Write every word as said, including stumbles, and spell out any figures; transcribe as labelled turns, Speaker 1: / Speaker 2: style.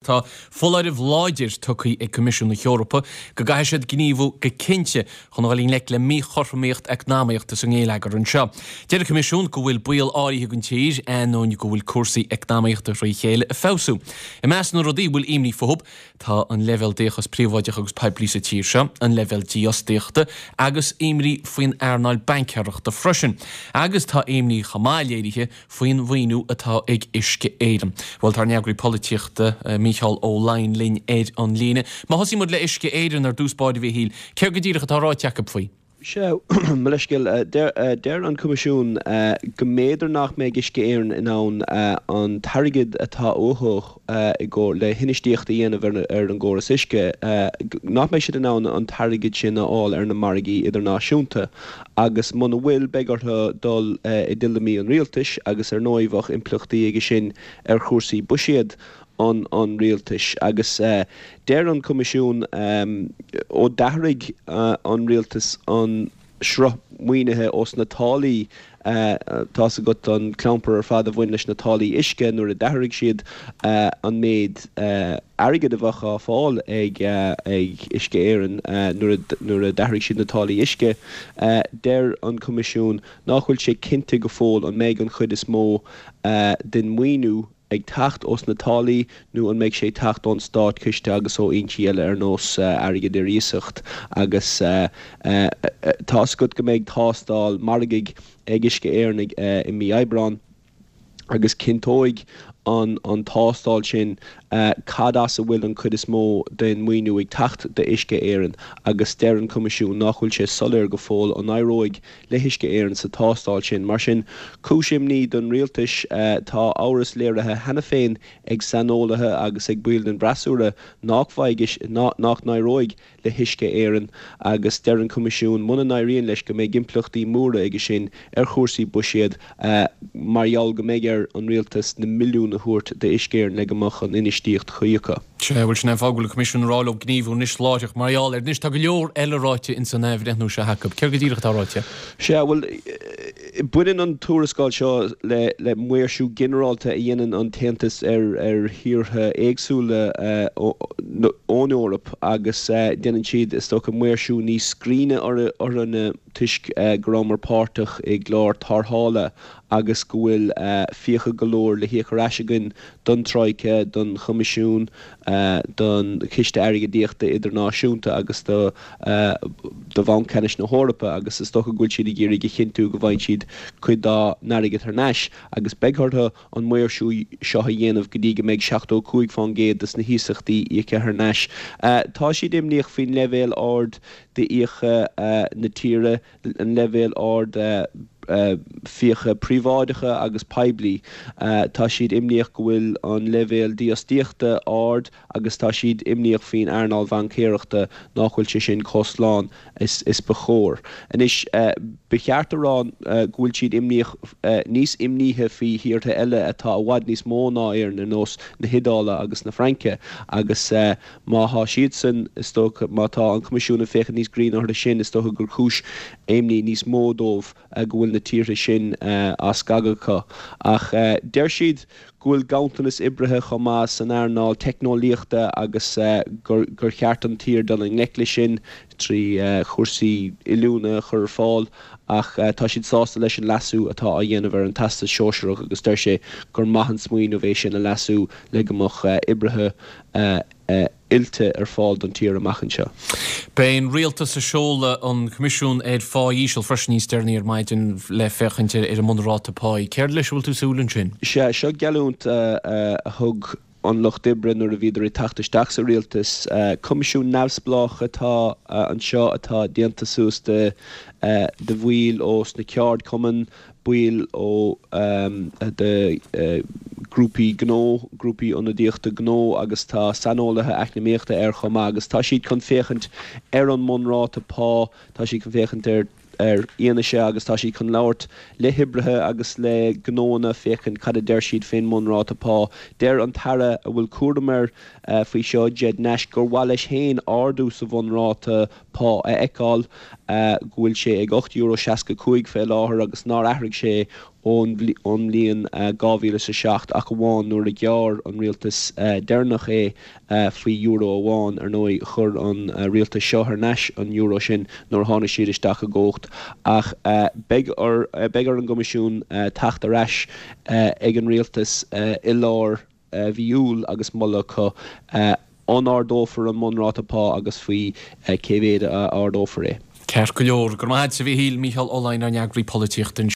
Speaker 1: Tá foláireamh láidir tugtha ag Coimisiún na hEorpa go gcaithfidh siad gníomhú go cinnte chun dul i ngleic le míchothromaíocht eacnamaíochta sa ngeilleagar anseo. Deir an Coimisiún go bhfuil baol áirithe don tír ainneoin go bhfuil cúrsaí eacnamaíochta thrí chéile ag feabhsú. I measc na rudaí bhfuil imní fúthu tá an leibhéal d'fhiachas príobháideach agus poiblí sa tír seo, an leibhéal dífhostaíochta agus imní faoin earnáil baincéireachta freisin. Agus tá imní chomh maith léirithe faoin mhaoiniú atá ag Uisce Éireann. Bhuel tá ár n-eagraí polaitíochta Mícheál Ó Laighin linn ar an líne. Má thosaíonn muid le Uisce Éireann ar dtús báire a Mhíchíl, céard go díreach atá ráite acu faoi?
Speaker 2: Sea, mo leithscéal, deir an Coimisiún go mb'fhéidir nach mbeidh Uisce Éireann in ann an t-airgead atá uathu i gcomhair le hinfheistíocht a dhéanamh ar an gcóras uisce, nach mbeidh siad in ann an t-airgead sin a fháil ar na margaí idirnáisiúnta agus muna bhfuil, beidh orthu dul i dtuilleamaí an rialtais agus ar ndóigh bheadh impleachtaí aige sin ar chúrsaí buiséad an an rialtais agus deir an Coimisiún ó d'athraigh an rialtas an sruth maoinithe ós na táillí tá's agat an clampar ar fad a bhain leis na táillí uisce nuair a d'athraigh siad an méid airgid a bheadh á fáil ag ag Uisce Éireann nuair a nuair a d'athraigh siad na táillí uisce deir an Coimisiún nach bhfuil sé cinnte go fóill an mbeidh an chuid is mó den mhaoiniú ag teacht ós na táillí nó an mbeidh sé ag teacht ón státchiste agus ó fhoinsí eile ar nós airgead ar iasacht agus tá's agat go mbeidh tástáil margaidh ag Uisce Éireann i mí Aibreáin agus cinnteoidh an an tástáil sin cad as a bhfuil an chuid is mó den mhaoiniú ag teacht d'Uisce Éireann agus deir an Coimisiún nach bhfuil sé soiléir go fóill an éireoidh le hUisce Éireann sa tástáil sin. Mar sin, cúis imní don rialtas, tá amhras léirithe cheana féin ag saineolaithe agus ag baill den bhfreasúra nach bhfaighidh, nach n-éireoidh le hUisce Éireann agus deir an Coimisiún muna n-éiríonn leis go mbeidh impleachtaí móra aige sin ar chúrsaí buiséid mar gheall go mbeidh ar an rialtas na milliúin a thabhairt d'Uisce Éireann le go mbeadh an infheistíocht chuí acu.
Speaker 1: Sea, bhuel sin é an fáth go bhfuil an Coimisiún ag rá leo gníomhú anois láithreach mar gheall air. Anois tá go leor eile ráite ins an athbhreithniú seo acu. Céard go díreach atá ráite?
Speaker 2: Sea, bhuel, baineann an tuarascáil seo le le maoirsiú ginearálta a dhéanann an tAontas ar ar thíortha éagsúla ón Eoraip agus déanann siad, is dócha, maoirsiú níos grinne orainne toisc go rabhamar páirteach i gclár tarrthála agus go bhfuil fiacha go leor le híoc ar ais againn don Troika, don Choimisiún, don Chiste Airgeadaíochta Idirnáisiúnta agus do do Bhanc Ceannais na hEorpa agus is dócha go bhfuil siad ag iarraidh a chinntiú go bhfaigheann siad cuid dá n-airgead thar n-ais agus beidh orthu an maoirsiú seo a dhéanamh go dtí go mbeidh seachtó a cúig fán gcéad des na hiasachtaí íoctha thar n-ais. Tá siad imníoch faoin leibhéal ard d'fhiacha na tíre, an leibhéal ard fiacha príobháideacha agus poiblí. Tá siad imníoch go bhfuil an leibhéal dífhostaíochta ard agus tá siad imníoch faoin earnáil bhaincéireachta nach bhfuil sé sin chomh slán is is ba chóir. Anois, ba cheart a rá go bhfuil siad imníoch níos imníche faoi thíortha eile atá i bhfad níos mó ná Éirinn ar nós na hIodáile agus na Fraince agus má thá siadsan, is dócha, má tá an Coimisiún ag féachaint níos grinne orthu sin, is dócha gur cúis imní níos mó dóibh go bhfuil na tíortha sin á scagadh acu. Ach deir siad go bhfuil ganntanas oibrithe chomh maith san earnáil teicneolaíochta agus gur cheart don tír dul i ngleic leis sin trí chúrsaí oiliúna a chur ar fáil ach tá siad sásta leis an leasú atá á dhéanamh ar an Teastas Sóisearach agus deir sé gur maith an smaoineamh é sin a leasú le go mbeadh oibrithe oilte ar fáil don tír amach anseo.
Speaker 1: Beidh an rialtas ag seoladh an Coimisiún ar Phá Íseal freisin níos deireanaí ar maidin le féachaint ar an mbunráta páí. Céard leis a bhfuil tú ag súil ansin?
Speaker 2: Sea, seo geallúint a thug an Lucht Oibre nuair a bhíodar ag teacht isteach sa rialtas. Coimisiún neamhspleách atá anseo atá déanta suas de de bhaill ó sna ceardchumainn, baill ó de ghrúpaí gnó, grúpaí ionadaíochta gnó agus tá saineolaithe eacnamaíochta air chomh maith agus tá siad chun féachaint ar an mbunráta pá, tá siad chun féachaint ar ar fhianaise agus tá siad chun labhairt le hoibrithe agus le gnóanna féachaint cad a deir siad fén mbunráta pá. Deir an tAire a bhfuil cúram air faoi seo, Ged Nash, gur mhaith leis féin ardú sa bhunráta pá a fheiceáil, go bhfuil sé ag ocht euro seasca cúig fé láthair agus nár athraigh sé ón mbliain dhá mhíle is a seacht, ach amháin nuair a ghearr an rialtas deireanach é faoi euro amháin. Ar ndóigh, chuir an rialtas seo thar n-ais an euro sin nuair a tháinig siad isteach i gcumhacht. Ach beidh ar beidh ar an gCoimisiún teacht ar ais ag an rialtas i lár mhí Iúil agus moladh acu an ardófar an mbunráta pá agus faoi cé mhéad a ardófar é.
Speaker 1: Ceart go leor. Go raibh maith agat, a Mhíchíl. Mícheál Ó Laighin, ár n-eagraí polaitíochta.